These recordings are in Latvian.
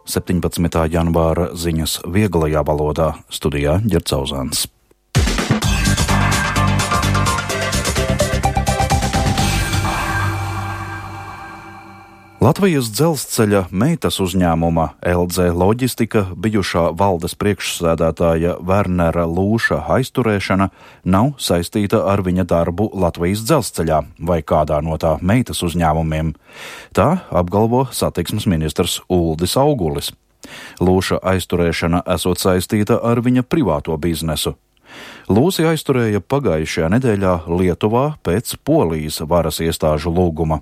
17. janvāra ziņas vieglajā valodā, studijā Ģerts Auzāns. Latvijas dzelzceļa meitas uzņēmuma LZ Loģistika bijušā valdes priekšsēdētāja Wernera Lūša aizturēšana nav saistīta ar viņa darbu Latvijas dzelzceļā vai kādā no tā meitas uzņēmumiem. Tā apgalvo satiksmes ministrs Uldis Augulis. Lūša aizturēšana esot saistīta ar viņa privāto biznesu. Lūsi aizturēja pagājušajā nedēļā Lietuvā pēc Polijas varas iestāžu lūguma.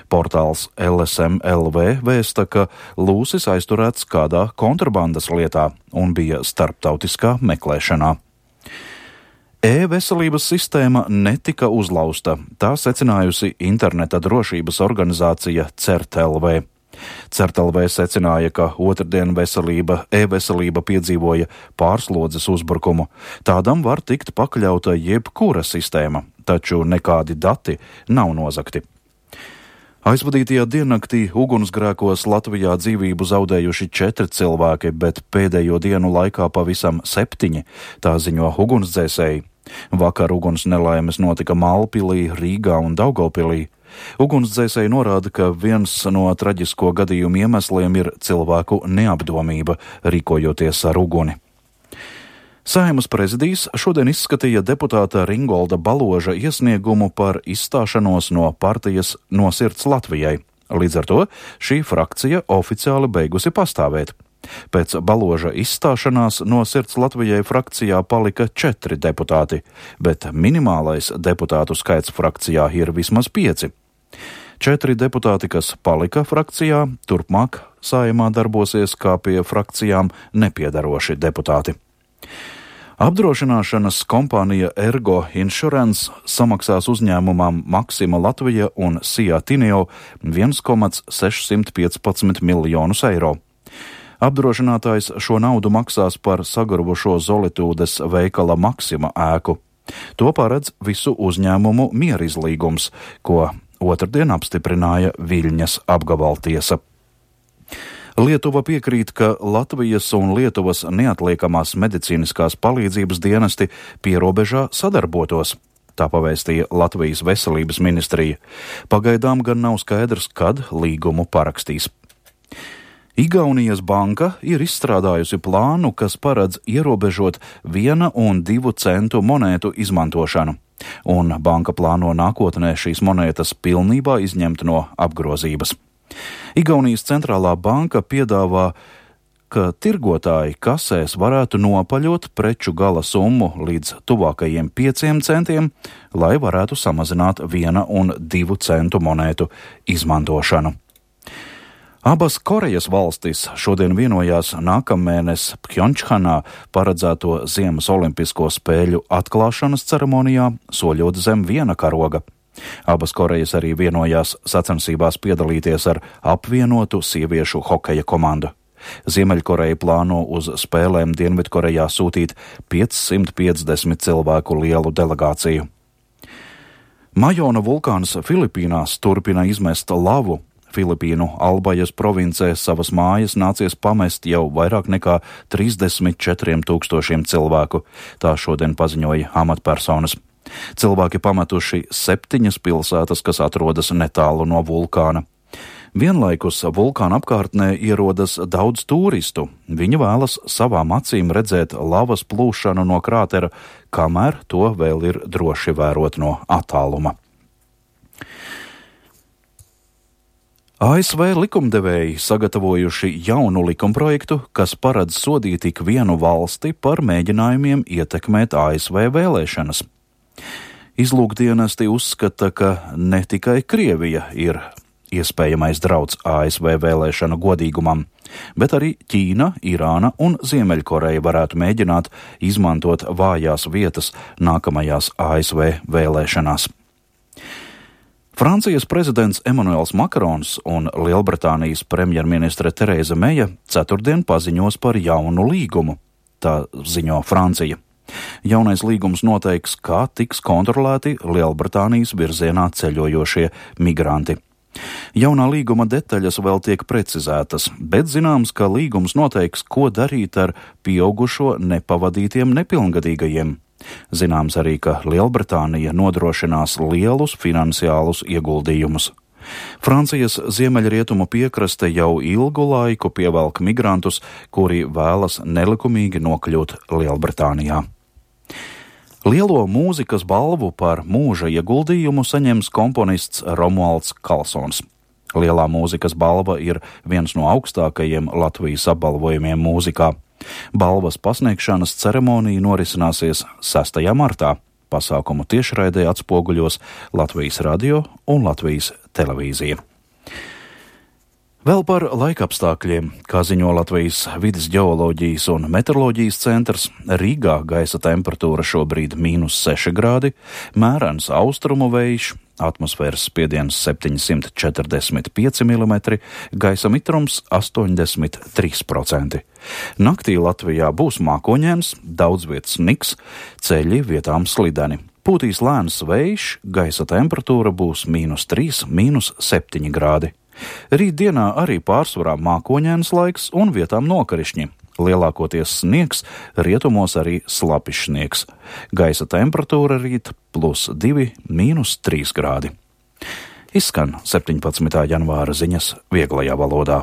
Portāls LSM.LV vēsta, ka Lūsis aizturēts kādā kontrabandas lietā un bija starptautiskā meklēšanā. E-veselības sistēma netika uzlausta, tā secinājusi interneta drošības organizācija CERT.LV. CERT.LV secināja, ka otrdien e-veselība piedzīvoja pārslodzes uzbrukumu. Tādam var tikt pakļauta jebkura sistēma, taču nekādi dati nav nozagti. Aizvadītajā diennaktī ugunsgrēkos Latvijā dzīvību zaudējuši 4 cilvēki, bet pēdējo dienu laikā pavisam 7, tā ziņo ugunsdzēsēji. Vakar uguns nelaimes notika Mālpilī, Rīgā un Daugavpilī. Ugunsdzēsēji norāda, ka viens no traģisko gadījumu iemesliem ir cilvēku neapdomība, rīkojoties ar uguni. Saeimas prezidijs šodien izskatīja deputāta Ringolda Baloža iesniegumu par izstāšanos no partijas No sirds Latvijai. Līdz ar to šī frakcija oficiāli beigusi pastāvēt. Pēc Baloža izstāšanās No sirds Latvijai frakcijā palika 4 deputāti, bet minimālais deputātu skaits frakcijā ir vismaz 5. 4 deputāti, kas palika frakcijā, turpmāk Saeimā darbosies kā pie frakcijām nepiedaroši deputāti. Apdrošināšanas kompānija Ergo Insurance samaksās uzņēmumam Maxima Latvija un Sija Tineo 1,615 miljonus eiro. Apdrošinātājs šo naudu maksās par sagaravošo Zolitūdes veikala Maxima ēku. To paredz visu uzņēmumu mierizlīgums, ko otrdien apstiprināja Viļņas apgabaltiesa. Lietuva piekrīt, ka Latvijas un Lietuvas neatliekamās medicīniskās palīdzības dienesti pierobežā sadarbotos. Tā pavēstīja Latvijas veselības ministrija. Pagaidām gan nav skaidrs, kad līgumu parakstīs. Igaunijas banka ir izstrādājusi plānu, kas paredz ierobežot 1 un 2 centu monētu izmantošanu, un banka plāno nākotnē šīs monētas pilnībā izņemt no apgrozības. Igaunijas centrālā banka piedāvā, ka tirgotāji kasēs varētu nopaļot preču gala summu līdz tuvākajiem 5 centiem, lai varētu samazināt 1 un 2 centu monētu izmantošanu. Abas Korejas valstis šodien vienojās nākamēnes Pjongčhanā paredzēto Ziemas olimpisko spēļu atklāšanas ceremonijā, soļot zem viena karoga. Abas Korejas arī vienojās sacensībās piedalīties ar apvienotu sieviešu hokeja komandu. Ziemeļkoreja plāno uz spēlēm Dienvidkorejā sūtīt 550 cilvēku lielu delegāciju. Majona vulkāns Filipīnās turpina izmest lavu. Filipīnu Albajas provincē savas mājas nācies pamest jau vairāk nekā 34 000 cilvēku, tā šodien paziņoja amatpersonas. Cilvēki pametuši 7 pilsētas, kas atrodas netālu no vulkāna. Vienlaikus vulkāna apkārtnē ierodas daudz turistu. Viņi vēlas savām acīm redzēt lavas plūšanu no krātera, kamēr to vēl ir droši vērot no attāluma. ASV likumdevēji sagatavojuši jaunu likumprojektu, kas paredz sodīt ik vienu valsti par mēģinājumiem ietekmēt ASV vēlēšanas. Izlūkdienesti uzskata, ka ne tikai Krievija ir iespējamais drauds ASV vēlēšanu godīgumam, bet arī Ķīna, Irāna un Ziemeļkoreja varētu mēģināt izmantot vājās vietas nākamajās ASV vēlēšanās. Francijas prezidents Emmanuels Makrons un Lielbritānijas premjerministre Tereza Meja ceturtdien paziņos par jaunu līgumu, tā ziņo Francija. Jaunais līgums noteiks, kā tiks kontrolēti Lielbritānijas virzienā ceļojošie migranti. Jaunā līguma detaļas vēl tiek precizētas, bet zināms, ka līgums noteiks, ko darīt ar pieaugušo nepavadītiem nepilngadīgajiem. Zināms arī, ka Lielbritānija nodrošinās lielus finansiālus ieguldījumus. Francijas ziemeļrietumu piekraste jau ilgu laiku pievelk migrantus, kuri vēlas nelikumīgi nokļūt Lielbritānijā. Lielo mūzikas balvu par mūža ieguldījumu saņems komponists Romualds Kalsons. Lielā mūzikas balva ir viens no augstākajiem Latvijas apbalvojumiem mūzikā. Balvas pasniegšanas ceremonija norisināsies 6. martā. Pasākumu tiešraidē atspoguļos Latvijas radio un Latvijas televīzija. Vēl par laikapstākļiem, kā ziņo Latvijas vides ģeoloģijas un meteoroloģijas centrs, Rīgā gaisa temperatūra šobrīd -6 grādi, mērens austrumu vējš, atmosfēras spiediens 745 mm, gaisa mitrums 83%. Naktī Latvijā būs mākoņains, daudz vietas sniks, ceļi vietām slideni. Pūtīs lēns vējš, gaisa temperatūra būs -3, -7 grādi. Rītdienā arī pārsvarā mākoņains laiks un vietām nokarišņi. Lielākoties sniegs, rietumos arī slapišs sniegs. Gaisa temperatūra rīt +2, -3 grādi. Izskan 17. janvāra ziņas vieglajā valodā.